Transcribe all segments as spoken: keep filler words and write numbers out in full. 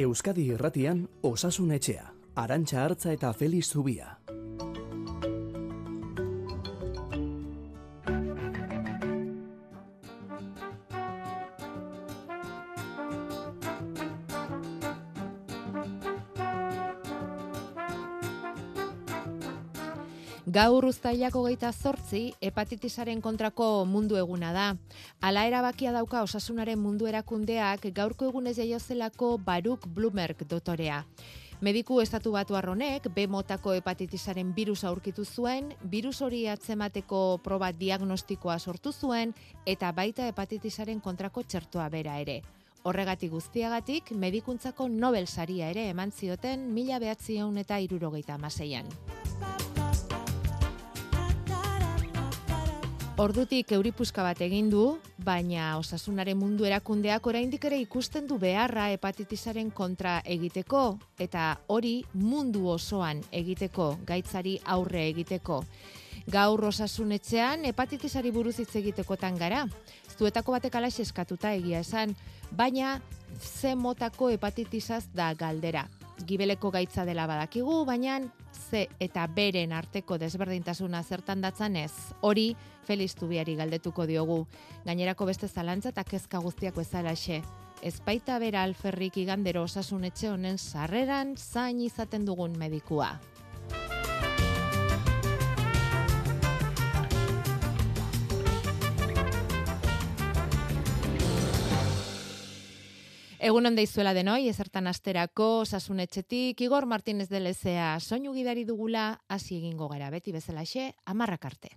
Euskadi Irratian Osasun Etxea, Arantxa Artza eta Felix Zubia. Gaur uztailak hogeita zortzi, hepatitisaren kontrako mundu eguna da. Hala erabakia dauka Osasunaren mundu erakundeak gaurko egunez jaiozelako Baruch Blumberg dotorea. Mediku estatu batuar honek B motako hepatitisaren birusa aurkitu zuen, birus hori atzemateko proba diagnostikoa sortu zuen eta baita hepatitisaren kontrako txertoa bera ere. Horregatik guztiagatik, medikuntzako Nobel saria ere eman zioten mila bederatziehun eta hirurogeita hamaseian. Ordutik euripuska bat egin du, baina Osasunaren mundu erakundeak oraindik ere ikusten du beharra hepatitisaren kontra egiteko, eta hori mundu osoan egiteko, gaitzari aurre egiteko. Gaur Osasun Etxean hepatitisari buruz hitz egitekotan gara. Zuetako batek alaxe eskatuta egia esan, baina ze motako hepatitisaz da galdera. Gibeleko gaitza dela badakigu, baina Z eta beren arteko desberdintasuna zertan datzan ez. Hori Felix Zubiari galdetuko diogu. Gainerako beste zalantza eta kezka guztiak bezalaxe. Ez baita bera alferrik igandero Osasun Etxe honen sarreran zain izaten dugun medikua. Egun on deizuela denoi, ezertan asterako Osasun Etxetik, Igor Martínez de Lezea soinu gidari dugula, hasi egingo gara beti bezalaxe, hamarrak arte.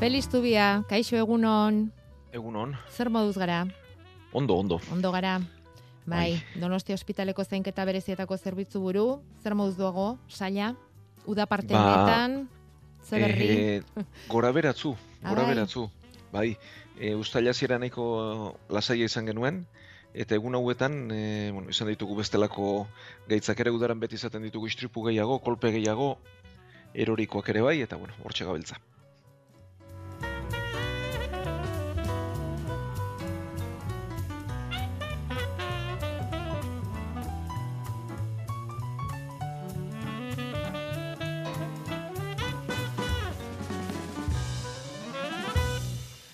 Felix Zubia, kaixo egunon. Egunon. Zer moduz gara? Ondo, ondo. Ondo gara. Bai, Bai. Donostia ospitaleko zainketa berezietako zerbitzu buru, zer moduz duago, saia, uda parte Ba, honetan, ze berri? Eh, gora beratzu, Ah, gora bai. beratzu. Bai, e, ustaila ziera nahiko lasaia izan genuen, eta egun hauetan, e, bueno, izan ditugu bestelako gaitzak ere udaran beti izaten ditugu istripu gehiago, kolpe gehiago, erorikoak ere bai, eta bueno, hortxe gabiltza.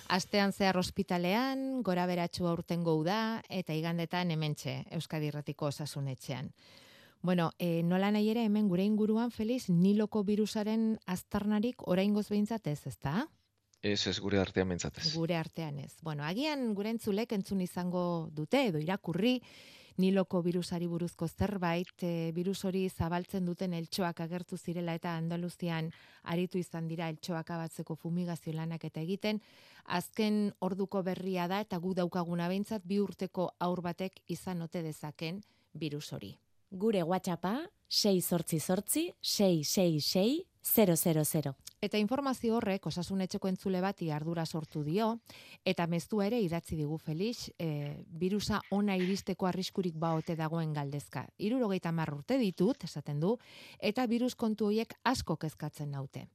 Astean zehar ospitalean, gora beratxu aurtengo uda, eta igandetan hementxe, Euskadi Irratiko Osasun Etxean. Bueno, e, nola nahi ere hemen gure inguruan, Felix, Niloko birusaren aztarnarik oraingoz behintzat ez, ezta? Ez ez gure artean mentzatez. Gure artean ez. Bueno, agian gure entzulek entzun izango dute, edo irakurri, Niloko birusari buruzko zerbait, e, birus hori zabaltzen duten eltxoak agertu zirela eta Andaluzian aritu izan dira eltxoak abatzeko fumigazio lanak eta egiten, azken orduko berria da eta gu daukaguna behintzat bi urteko haur batek izan ote dezaken birus hori. Gure WhatsAppa sei zortzi zortzi sei sei sei zero zero zero. Eta informazio horrek Osasun Etxeko entzule bati ardura sortu dio, eta meztua ere idatzi digu Felix, e, birusa ona iristeko arriskurik baote dagoen galdezka. Hirurogeita hamar urte ditut, esaten du, eta birus kontu horiek asko kezkatzen naute.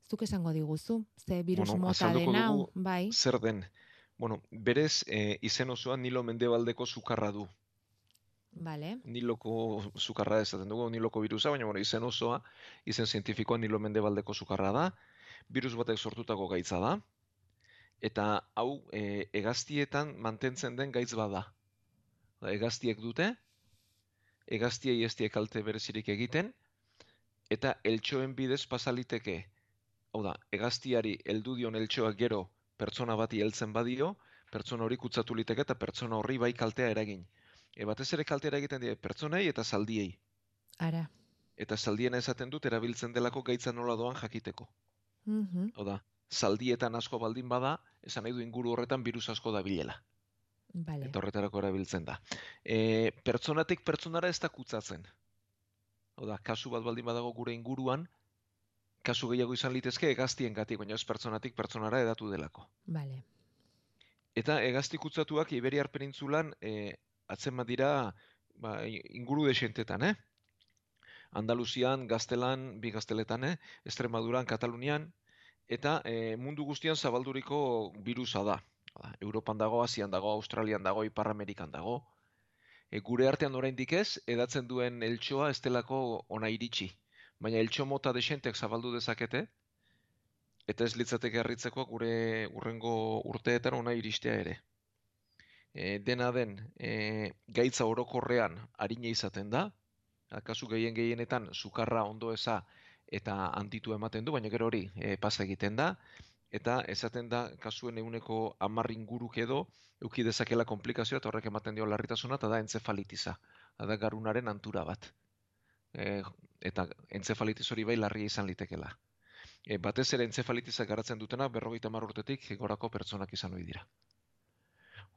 Zuk esango diguzu, ze birus Bueno, mota azalduko den hau, dugu bai, zer den. Bueno, berez, e, izen osoa Nilo mendebaldeko sukarra du. bale, Niloko sukarra esaten dugu, Niloko birusa, baina bueno, izen osoa, izen zientifikoa Nilo mendebaldeko sukarra da, birus batek sortutako gaitza da, eta hau e, hegaztietan mantentzen den gaitz bada. Da, hegaztiek dute, hegaztiei ez die kalte berezirik egiten, eta eltxoen bidez pasaliteke. Hau da, hegaztiari heldu dion eltxoak gero pertsona bati heltzen badio, pertsona hori kutsatu liteke eta pertsona horri bai kaltea eragin. E, batez ere kaltea egiten die pertsonei eta zaldiei. ara. Eta zaldiena esaten dut erabiltzen delako gaitza nola doan jakiteko. Mhm, Hau da, zaldietan asko baldin bada, esan nahi du inguru horretan birus asko dabilela. bale. Eta horretarako erabiltzen da. E, pertsonatik pertsonara ez da kutsatzen. Hau da, kasu bat baldin badago gure inguruan, kasu gehiago izan litezke hegaztiengatik, baina ez pertsonatik pertsonara hedatu delako. Vale. Eta hegazti kutsatuak Iberiar penintzulan e, atzeman dira ba, inguru desentetan, eh? Andaluzian, Gaztelan, bi Gazteletan, eh? Extremaduran, Katalunian, eta e, mundu guztian zabalduriko birusa da. Europan dago, Asian dago, Australian dago, Ipar Amerikan dago. E, gure artean oraindik ez, edatzen duen eltsoa ez delako ona iritsi. Baina eltso mota desentek zabaldu dezakete, eta ez litzateke harritzeko gure urrengo urteetan ona iristea ere. E, dena den, e, gaitza orokorrean arina izaten da, kasu gehien gehienetan sukarra ondo eza eta handitu ematen du, baina gero hori e, pasa egiten da, eta esaten da kasuen ehuneko hamar inguruk edo eduki dezakela komplikazioa eta horrek ematen dio larritasuna, eta da entzefalitiza, da garunaren antura bat. E, eta entzefalitis hori bai larria izan litekela. E, batez ere entzefalitizak garatzen dutenak berrogeita hamar urtetik gorako pertsonak izan ohi dira.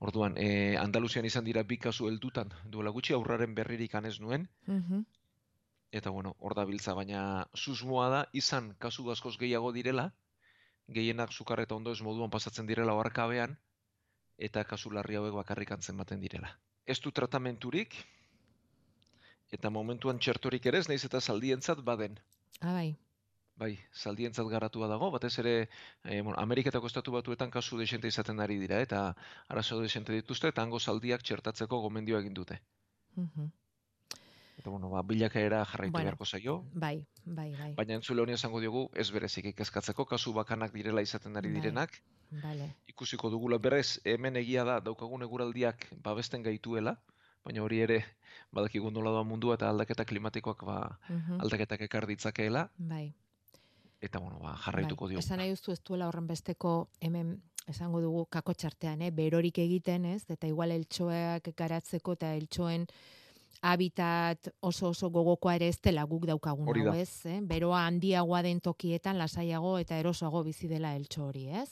Orduan, e, Andaluzian izan dira bi kasu heldutan, duela gutxi aurraren berririk anez nuen, Mhm. eta bueno, hor da biltza, baina susmoa da izan kasu askoz gehiago direla, gehienak sukar eta ondo ez moduan pasatzen direla oharkabean, eta kasu larri hauek bakarrik antzematen direla. Ez du tratamenturik, eta momentuan txertorik ere ez, nahiz eta zaldientzat baden. Ah, bai. Bai, zaldientzat garatua dago, batez ere eh, bueno, Ameriketako estatu batuetan kasu desente izaten ari dira, eta arazo desente dituzte, eta hango zaldiak txertatzeko gomendioa egin dute. Mhm. Eta bueno, ba, bilakaera jarraitu Bueno. beharko zaio, Bai, bai, bai. baina entzule honi esango diogu ez berezik kezkatzeko, kasu bakanak direla izaten ari Bai. direnak, Vale. ikusiko dugula berez, hemen egia da daukagun eguraldiak babesten gaituela, baina hori ere badakigu nola doa mundua eta aldaketa klimatikoak ba, Mhm. aldaketak ekar ditzakeela, Bai. eta bueno, ba, jarraituko Bai. diogu. Esan nahi duzu ez duela horren besteko hemen esango dugu kakotxartean, eh? Berorik egiten, ez? Eta igual eltxoak garatzeko eta eltxoen habitat oso oso gogokoa ere ez dela guk daukagun Hori hau, da. ez? Eh? Beroa handiagoa den tokietan lasaiago eta erosoago bizi dela eltxo hori, ez?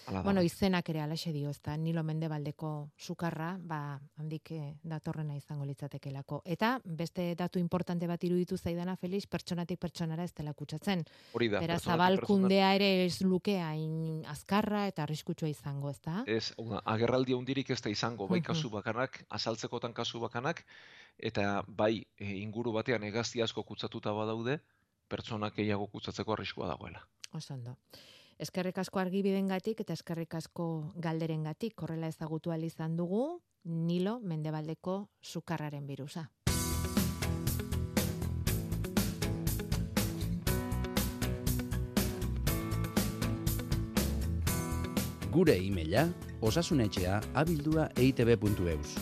Hala da. Bueno, izenak ere alaxe dio, ezta? Nilo Mendebaldeko sukarra, ba, handik eh, datorrena izango litzatekelako. Eta beste datu importante bat iruditu zaidana, Felix, pertsonatik pertsonara ez dela kutsatzen. Hori da. Beraz, pertsonatik zabalkundea ere ez luke hain azkarra eta arriskutsua izango, ezta? pertsona- Ez, hau da, agerraldi handirik ez da izango, bai Mhm. kasu bakanak, azaltzekotan kasu bakanak, eta bai e, inguru batean hegazti asko kutsatuta badaude, pertsonak gehiago kutsatzeko arriskua dagoela. Oso ondo. Eskerrik asko argibidengatik eta eskerrik asko galderengatik, horrela ezagutu ahal izan dugu Nilo Mendebaldeko sukarraren birusa. Gure e-maila osasunetxea abildua eitb puntu eus.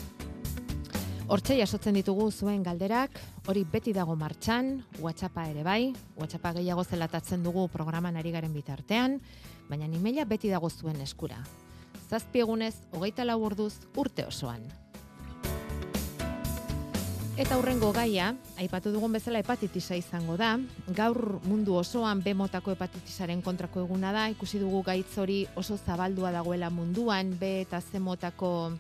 Hortxe jasotzen ditugu zuen galderak, hori beti dago martxan, WhatsAppa ere bai, WhatsAppa gehiago zelatatzen dugu programan ari garen bitartean, baina e-maila beti dago zuen eskura. Zazpi egunez, hogeita lau orduz, urte osoan. Eta hurrengo gaia, aipatu dugun bezala hepatitisa izango da, gaur mundu osoan B motako hepatitisaren kontrako eguna da, ikusi dugu gaitz hori oso zabaldua dagoela munduan, B eta C motako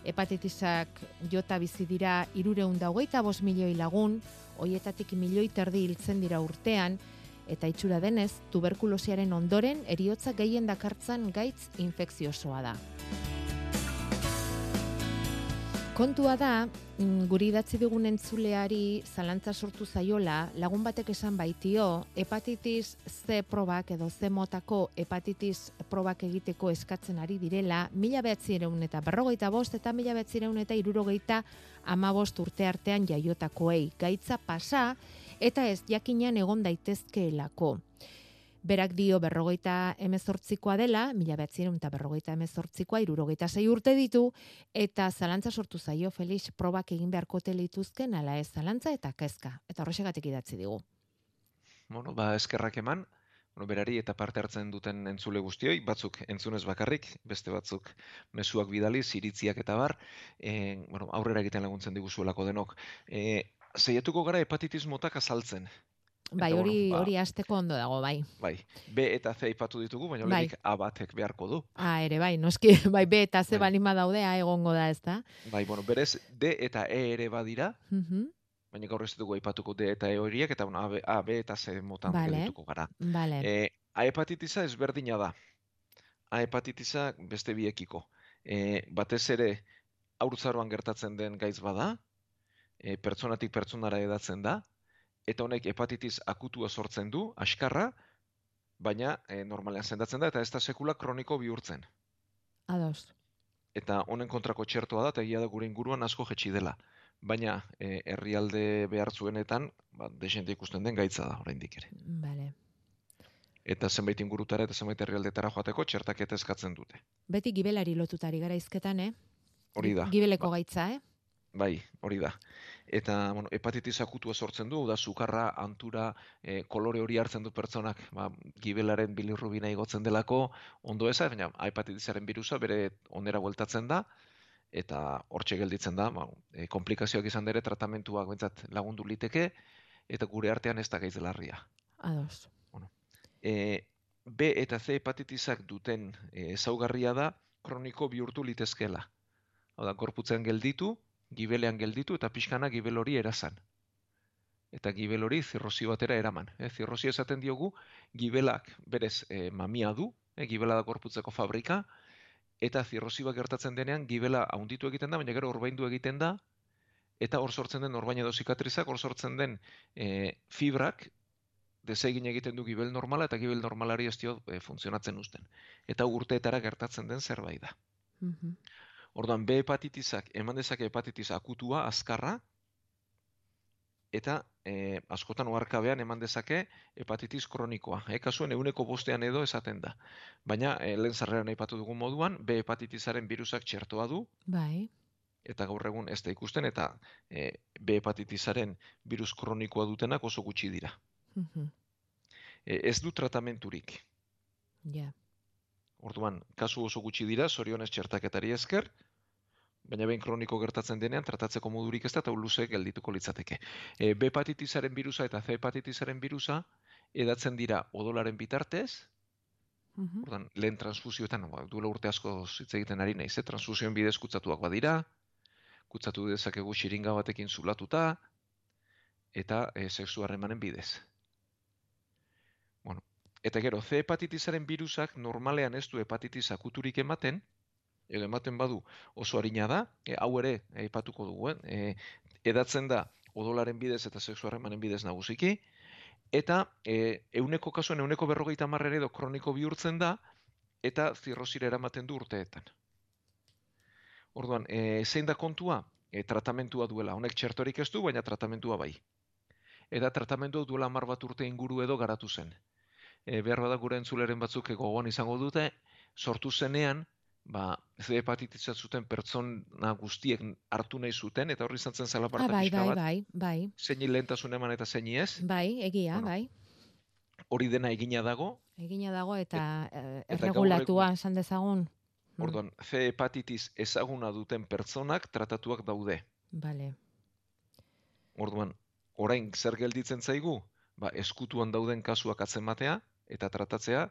hepatitisak jota bizi dira hirurehun eta hogeita bost milioi lagun, hoietatik milioi terdi hiltzen dira urtean, eta itxura denez, tuberkulosiaren ondoren heriotza gehien dakartzan gaitz infekziosoa da. Kontua da, guri idatzi dugun entzuleari zalantza sortu zaiola, lagun batek esan baitio, hepatitis C probak edo C motako hepatitis probak egiteko eskatzen ari direla, mila bederatziehun eta berrogeita bost eta mila bederatziehun eta hirurogeita hamabost urte artean jaiotakoei. Gaitza pasa eta ez jakinean egon daitezkeelako. Berak dio berrogeita hemezortzikoa dela, mila bederatziehun eta berrogeita hemezortzikoa, hirurogeita sei urte ditu, eta zalantza sortu zaio Felix probak egin beharko lituzken ala ez zalantza eta kezka. Eta horrexegatik idatzi digu. Bueno, ba, eskerrak eman, bueno, berari eta parte hartzen duten entzule guztioi, batzuk entzunez bakarrik, beste batzuk mezuak bidaliz, iritziak eta bar, e, bueno, aurrera egiten laguntzen diguzuelako denok. E, Zeiatuko gara hepatitis motak azaltzen. Bai, Eta, hori bueno, ba- hori hasteko ondo dago, bai. Bai, B eta C aipatu ditugu, baina Bai. lehenik A batek beharko du. Ah, ere bai, noski, bai, B eta C Bai. balima daudea egongo da, ezta? Bai, bueno, berez D eta E ere badira, Mhm. baina gaur ez dugu aipatuko D eta E horiek, eta bueno, A, B, A, B eta C motan Vale. geldituko gara. Bale. E, A hepatitisa ezberdina da. A hepatitisa beste biekiko. E, batez ere, haurtzaroan gertatzen den gaitz bada, e, pertsonatik pertsonara hedatzen da, eta honek hepatitis akutua sortzen du, askarra, baina e, normalean sendatzen da, eta ez da sekula kroniko bihurtzen. Ados. Eta honen kontrako txertoa da, eta egia da gure inguruan asko jetxi dela. Baina e, herrialde behartzuenetan, ba, desente ikusten den gaitza da, oraindik ere. Bale. Eta zenbait ingurutara eta zenbait herrialdetara joateko txertaketa eskatzen dute. Beti gibelari lotutari gara hizketan, eh? Hori da. Gibeleko Ba, gaitza, eh? bai, hori da. Eta bueno, hepatitis akutua sortzen du, da sukarra, antura, e, kolore hori hartzen du pertsonak, ba, gibelaren bilirrubina igotzen delako, ondo eza, baina hepatitisaren birusa bere onera bueltatzen da, eta hortxe gelditzen da, ba, e, komplikazioak izan dere tratamentuak bentsat lagundu liteke, eta gure artean ez da gaitz larria. Ados. E, B eta C hepatitisak duten e, ezaugarria da kroniko bihurtu litezkela. Hau da, gorputzean gelditu, gibelean gelditu eta pixkana gibel hori erazan. Eta gibel hori zirrosi batera eraman. E, zirrosi esaten diogu, gibelak berez e, mamia du, e, gibela da gorputzeko fabrika, eta zirrosi bat gertatzen denean gibela haunditu egiten da, baina gero orbaindu egiten da, eta hor sortzen den orbaina edo zikatrizak, hor sortzen den e, fibrak, desegin egiten du gibel normala, eta gibel normalari ez dio e, funtzionatzen uzten. Eta urteetara gertatzen den zerbait da. Mhm. Orduan, B hepatitisak eman dezake hepatitis akutua, azkarra, eta e, askotan oharkabean eman dezake hepatitis kronikoa. E, kasuen euneko bostean edo esaten da. Baina, e, lehen sarreran aipatu dugun moduan, B hepatitisaren birusak txertoa du, Bai. eta gaur egun ez da ikusten, eta e, B hepatitisaren birus kronikoa dutenak oso gutxi dira. Mhm. E, ez du tratamenturik. Ja. Orduan, kasu oso gutxi dira, zorionez txertaketari esker, baina behin kroniko gertatzen denean, tratatzeko modurik ez da, eta luze geldituko litzateke. E, B hepatitisaren birusa eta C hepatitisaren birusa edatzen dira odolaren bitartez, Mhm. orduan, lehen transfusioetan, ba, duela urte asko hitz egiten ari naiz, eh? Transfusioen bidez kutsatuak badira, kutsatu dezakegu xiringa batekin zulatuta, eta e, sexu harremanen bidez. Bueno, eta gero, C hepatitisaren birusak normalean ez du hepatitis akuturik ematen, edo ematen badu oso arina da, e, hau ere aipatuko dugu, eh? E, edatzen da odolaren bidez eta sexu harremanen bidez nagusiki, eta e, euneko kasuen euneko berrogeita hamar edo kroniko bihurtzen da, eta zirrosira eramaten du urteetan. Orduan, e, zein da kontua? E, tratamentua duela. Honek txertorik ez du, baina tratamentua bai. Eta tratamentua duela hamar bat urte inguru edo garatu zen. E, behar bada gure entzuleren batzuk gogoan izango dute, sortu zenean, ba, C hepatitisa zuten pertsona guztiek hartu nahi zuten, eta horri izan zen Ah, zalaparta bai, pixka bai, bat, bai, bai. zeini lehentasun eman eta zeini ez, Bai, egia, Bueno, bai. hori dena egina dago, Egina dago eta eh, eta gaur erregulatua egun- esan dezagun. Mm. orduan, C hepatitis ezaguna duten pertsonak tratatuak daude. Bale. Orduan, orain zer gelditzen zaigu? Ba, eskutuan dauden kasuak atzematea eta tratatzea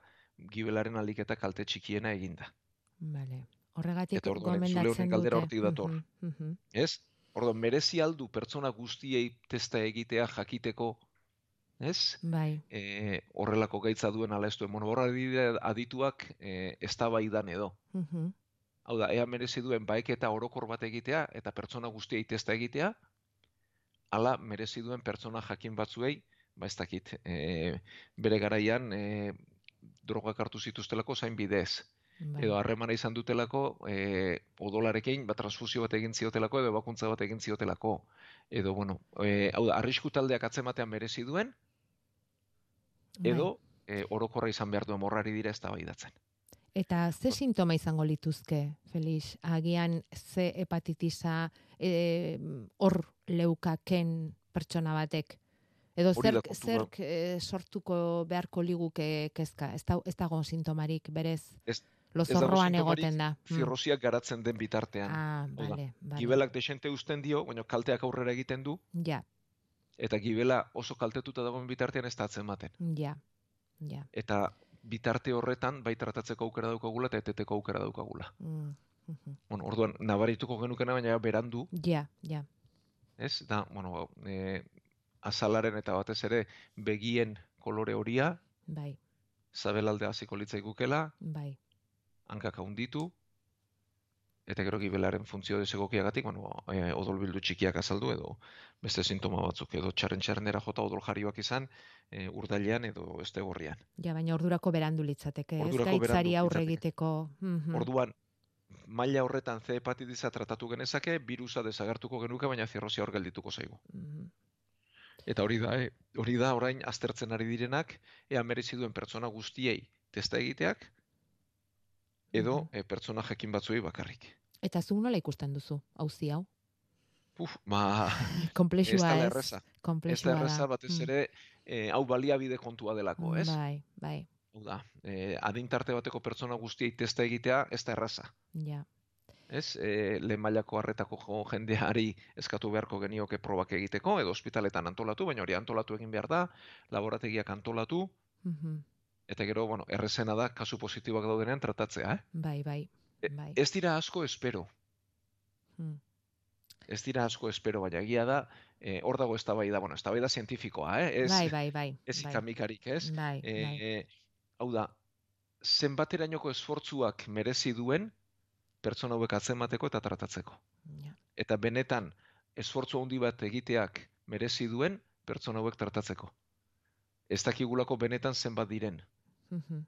gibelaren aliketa kalte txikiena eginda. Bale. Horregatik Eta orduan, zule gomendatzen honen dute. galdera hortik dator. Mhm, mhm. Ez? Orduan, merezi aldu pertsona guztiei testa egitea jakiteko, ez? Bai. E, horrelako gaitza duen ala ez duen. Bueno, horra dira adituak e, eztabaidan edo. Mhm. Hau da, ea merezi duen baeketa orokor bat egitea eta pertsona guztiei testa egitea, ala merezi duen pertsona jakin batzuei, ba ez dakit, e, bere garaian e, drogak hartu zituztelako zain bidez. Bai. Edo harremana izan dutelako e, odolarekin, ba, transfusio bat egin ziotelako, edo ebakuntza bat egin ziotelako. Edo, bueno, e, hau da, arrisku taldeak atzematean merezi duen, Bai. edo e, orokorra izan behar duen morrari dira eztabaidatzen. Eta ze sintoma izango lituzke, Felix? Agian ze hepatitisa eh, hor leukaken pertsona batek? Edo Hori da zerk, kontua. zerk eh, sortuko beharko liguke kezka? Ez, da, ez dago sintomarik, berez Ez- lozorroan sintomarik egoten da. Mm. Zirrosiak garatzen den bitartean. Ah, Hau da, bale, bale. Gibelak desente uzten dio, baina kalteak aurrera egiten du, Ja, eta gibela oso kaltetuta dagoen bitartean ez da atzematen. ja, ja. Eta bitarte horretan bai tratatzeko aukera daukagula eta eteteko aukera daukagula. Mm, mhm. Bueno, orduan, nabarituko genukena, baina berandu, Ja, ja. ez? Da, bueno, e, azalaren eta batez ere begien kolore horia, Bai, zabelalde hasiko litzaigukela, bai. hankak handitu, eta gero gibelaren funtzio desegokiagatik, bueno, e, odolbildu txikiak azaldu edo beste sintoma batzuk, edo txarren-txarrenera jota odol jarioak izan, e, urdailean edo estegorrian. Ja, baina ordurako berandu litzateke, ez Ordurako gaitzari berandu aurre litzateke. egiteko. Mhm. Orduan, maila horretan C hepatitisa tratatu genezake, birusa desagertuko genuke, baina zirrosia hor geldituko zaigu. Mhm. Eta hori da, eh? hori da orain aztertzen ari direnak, ea merezi duen pertsona guztiei testa egiteak, edo Mhm. e, pertsona jakin batzuei bakarrik. Eta zuk nola ikusten duzu, auzi hau? Uf, ba, ez Komplexua dela ez? erreza. Ez da Komplexua da. erreza batez Mm. ere, e, hau baliabide kontua delako, ez? Bai, bai, Hau da, e, adintarte bateko pertsona guztiei testa egitea ez da erraza. ja. Ez, e, lehen mailako harretako jo- jendeari eskatu beharko genioke probak egiteko, edo ospitaletan antolatu, baina hori antolatu egin behar da, laborategiak antolatu, Mhm. eta gero, bueno, errezena da, kasu positiboak daudenean tratatzea, eh? Bai, bai, E, bai. Ez dira asko espero, Mm. ez dira asko espero, baina egia da, e, hor dago eztabaida, bueno, eztabaida zientifikoa, eh? Ez, Bai, bai, bai. ez bai. ikamikarik, ez? Bai, E, bai. e, hau da, zenbaterainoko esfortzuak merezi duen pertsona hauek atzemateko eta tratatzeko. Ja. Eta benetan esfortzu handi bat egiteak merezi duen pertsona hauek tratatzeko. Ez dakigulako benetan zenbat diren. Mhm.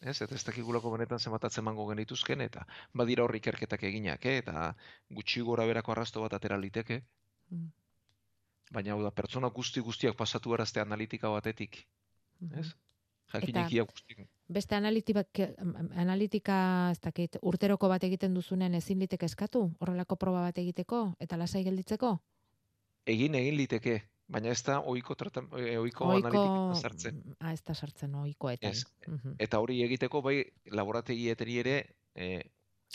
Ez, eta ez dakigulako benetan zenbat atzemango genituzken, eta badira hor ikerketak eginak, eh? Eta gutxi gora berako arrasto bat atera liteke, Mm. baina hau da, pertsona guzti guztiak pasatu erazte analitika batetik, Mhm. ez? Jakinekia guztik. Beste analitika, analitika, ez dakit, urteroko bat egiten duzunen ezin liteke eskatu? Horrelako proba bat egiteko eta lasai gelditzeko? Egin egin liteke, baina ez da ohiko tratam, eh, ohiko Ohiko, analitika sartzen. ah, ez da sartzen ohikoetan. Ez. Mhm. Eta hori egiteko bai laborategieteri ere eh,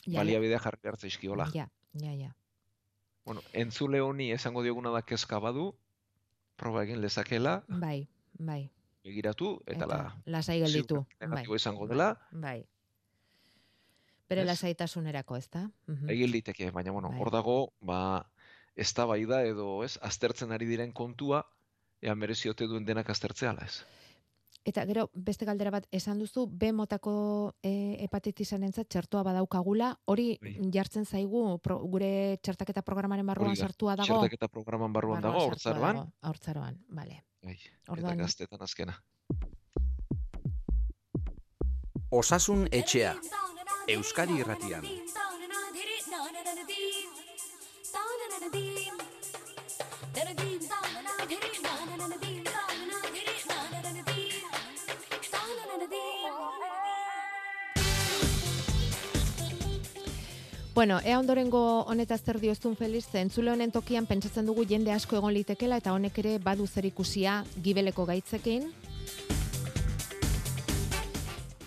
Ja, baliabidea jarri behar zaizkiola. Ja, ja, ja. Bueno, entzule honi esango dioguna da kezka badu, proba egin lezakela, Bai, bai. begiratu, eta, la, lasai gelditu. ziur negatibo Bai, izango bai, dela, Bai. Bere Ez? lasaitasunerako, ezta? Mhm. egin liteke, baina bueno, Bai. hor dago, ba, eztabaida edo, ez, aztertzen ari diren kontua, ea merezi ote duen denak aztertzea ala ez. Eta gero beste galdera bat esan duzu B motako e, hepatitisanentzat txertoa badaukagula, hori Bai. jartzen zaigu pro, gure txertaketa programaren barruan Hori da, sartua dago. Txertaketa programan barruan dago, Barruan sartua hortzaroan, dago, Haurtzaroan, vale. bai, Orduan- eta gaztetan azkena. Osasun etxea. Euskadi irratian. Bueno, ea ondorengo honetaz zer dioztun Feliz, ze entzule honen tokian pentsatzen dugu jende asko egon litekela eta honek ere badu zer ikusia gibeleko gaitzekin.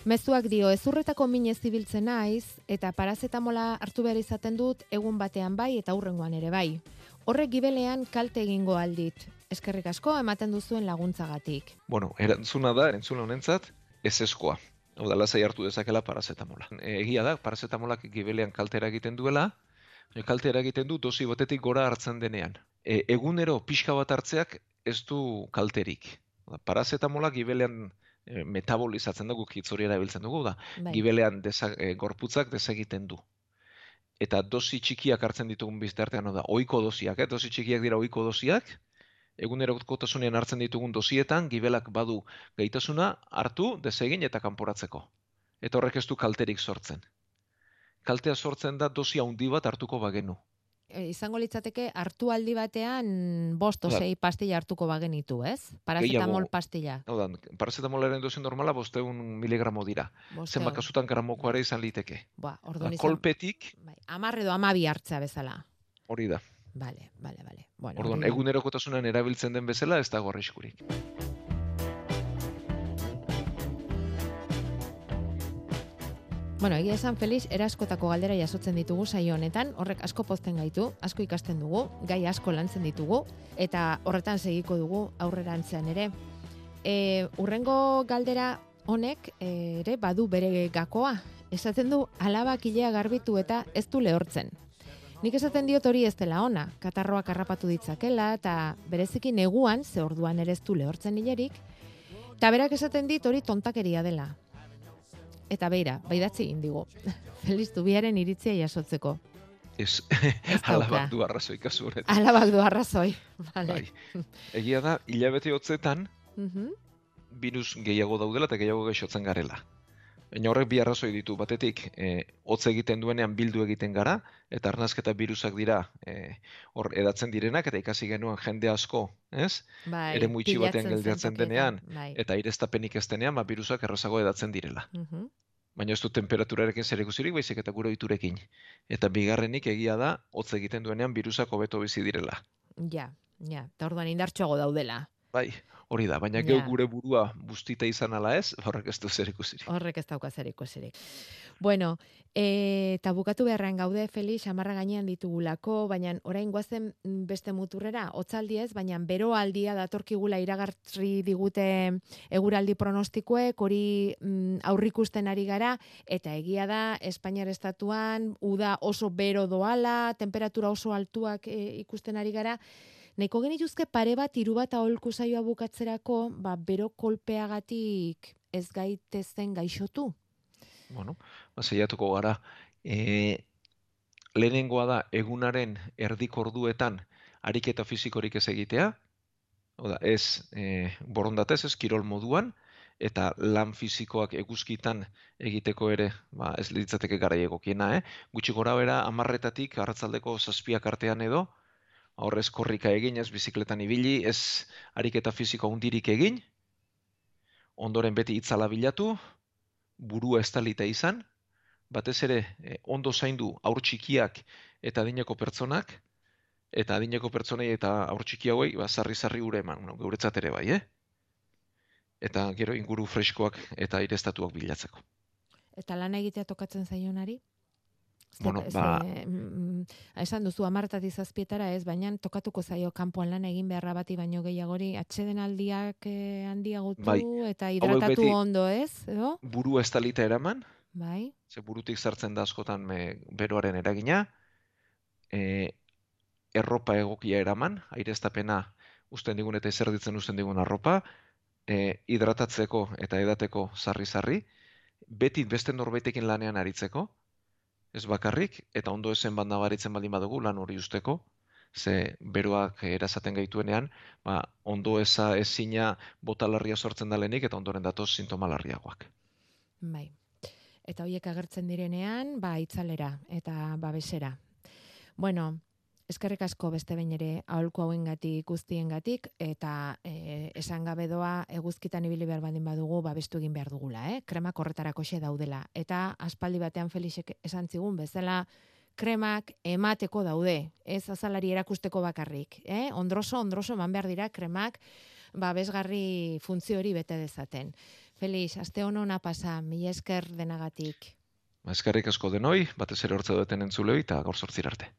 Mezuak dio, ezurretako minez zibiltzen naiz eta parazetamola hartu behar izaten dut egun batean bai eta hurrengoan ere bai. Horrek gibelean kalte egingo aldit. Eskerrik asko ematen duzuen laguntzagatik. Bueno, erantzuna da, entzule honentzat, ezeskoa. Hau da, lasai hartu dezakela parazetamola. E, egia da, parazetamolak gibelean kaltera egiten duela, baina kaltera egiten du dosi batetik gora hartzen denean. E, egunero pixka bat hartzeak ez du kalterik. Hau da, parazetamolak gibelean e, metabolizatzen dugu, hitz hori erabiltzen dugu, da, Bai. gibelean desa, e, gorputzak desegiten du. Eta dosi txikiak hartzen ditugun biztartean, hau da, ohiko dosiak, eh? Dosi txikiak dira ohiko dosiak, egunerokotasunean hartzen ditugun dosietan, gibelak badu gaitasuna hartu, desegin eta kanporatzeko. Eta horrek ez du kalterik sortzen. Kaltea sortzen da dosi handi bat hartuko bagenu. E, izango litzateke hartu aldi batean bost o Hala. sei pastilla hartuko bagenitu, ez? Paracetamol Gehiago. pastilla. Hau da, parazetamolaren dosi normala bostehun miligramo dira. Bosteun. Zenbat kasutan gramokoa ere izan liteke. Ba, Da, orduan izan. kolpetik Bai, hamar edo hamabi hartzea bezala. hori da. Vale, vale, vale. Bueno, Orduan, hori da. egunerokotasunean erabiltzen den bezala ez dago arriskurik. Bueno, egia esan Felix, eraskotako galdera jasotzen ditugu saio honetan, horrek asko pozten gaitu, asko ikasten dugu, gai asko lantzen ditugu, eta horretan segiko dugu aurrerantzean ere. E, urrengo galdera honek e, ere badu bere gakoa. Esaten du alabak ilea garbitu eta ez du lehortzen. Nik esaten diot hori ez dela ona, katarroak harrapatu ditzakela, eta bereziki neguan, ze orduan ere ez du lehortzen hilerik, eta berak esaten dit hori tontakeria dela. Eta beira, baidatzi indigo, Feliz Zubiaren iritzia jasotzeko. Ez, Ez alabak dauka. du arrazoi kasu horretan. Alabak du arrazoi. Vale. Bai. Egia da, hilabete hotzetan, Mhm. virus gehiago daudela eta gehiago gaixotzen garela. Baina horrek bi arrazoi ditu. Batetik, eh, hotz egiten duenean bildu egiten gara, eta arnazketa birusak dira eh, hor edatzen direnak, eta ikasi genuen jende asko, ez? Bai, Ere itxi batean pilatzen geldiatzen zen denean, tokietan, bai. eta aireztapenik ez denean, ba, birusak errazago edatzen direla. Mhm. Baina ez du temperaturarekin zerikusirik, baizik eta gure ohiturekin. Eta bigarrenik egia da, hotz egiten duenean birusak hobeto bizi direla. Ja, ja, eta orduan indartxoago daudela. Bai, hori da, baina Ja. geu gure burua bustita izan ala ez, horrek ez du zerikusirik. Horrek ez dauka zer ikusirik. Bueno, e, eta bukatu beharrean gaude, Felix, amarra gainean ditugulako, baina orain goazen mm, beste muturrera, hotzaldi ez, baina beroaldia datorkigula iragartri digute eguraldi pronostikoek, hori mm, aurrikusten ari gara, eta egia da, Espainiar estatuan, uda oso bero doala, temperatura oso altuak e, ikusten ari gara, nahiko genituzke pare bat, hiru bat aholku saioa bukatzerako, ba, bero kolpeagatik ez gaitezen gaixotu. Bueno, ba, saiatuko gara. E, lehenengoa da, egunaren erdik orduetan ariketa fisikorik ez egitea, oda, ez e, borondatez, ez kirol moduan, eta lan fisikoak eguzkitan egiteko ere, ba, ez litzateke gara egokiena, eh? Gutxi gora bera, amarretatik, arratzaldeko zazpiak artean edo, horrez korrika egin, ez bizikletan ibili, ez ariketa fisiko hundirik egin, ondoren beti itzala bilatu, burua estalita izan, batez ere eh, ondo zaindu haur txikiak eta adineko pertsonak, eta adineko pertsonei eta haur txikiagoei ba, sarri-sarri ure eman, no, geuretzat ere bai, eh? Eta gero inguru freskoak eta aireztatuak bilatzeko. Eta lan egitea tokatzen zaionari? Ze- Bueno, ze- ba- mm, esan duzu amartatik zazpietara ez, baina tokatuko zaio kanpoan lan egin beharra bati baino gehiagori, atsedenaldiak eh, handiagotu Bai, eta hidratatu beti- ondo ez, edo? Burua estalita eraman, Bai, ze burutik sartzen da askotan me, beroaren eragina, e, erropa egokia eraman, aireztapena usten digun eta ezerditzen usten digun arropa, e, hidratatzeko eta edateko sarri-sarri, beti beste norbaitekin lanean aritzeko, ez bakarrik, eta ondo esen bat nabaritzen baldin badugu lan hori usteko, ze beroak erasaten gaituenean, ba, ondo eza ezina botalarria sortzen da lehenik, eta ondoren datoz sintoma larriagoak. bai. Eta hoiek agertzen direnean, ba, itzalera eta babesera. Bueno, eskerrik asko beste behin ere aholku hauengatik guztiengatik eta e, esan gabe doa eguzkitan ibili behar baldin badugu babestu egin behar dugula, eh? Kremak horretarako xe daudela. Eta aspaldi batean Felixek esan zigun bezala kremak emateko daude, ez azalari erakusteko bakarrik, eh? Ondroso, ondroso eman behar dira kremak babesgarri funtzio hori bete dezaten. Felix, aste honona pasa, mila esker denagatik. Ba, eskerrik asko denoi, batez ere hortze duten entzulei, eta gaur zortzir arte.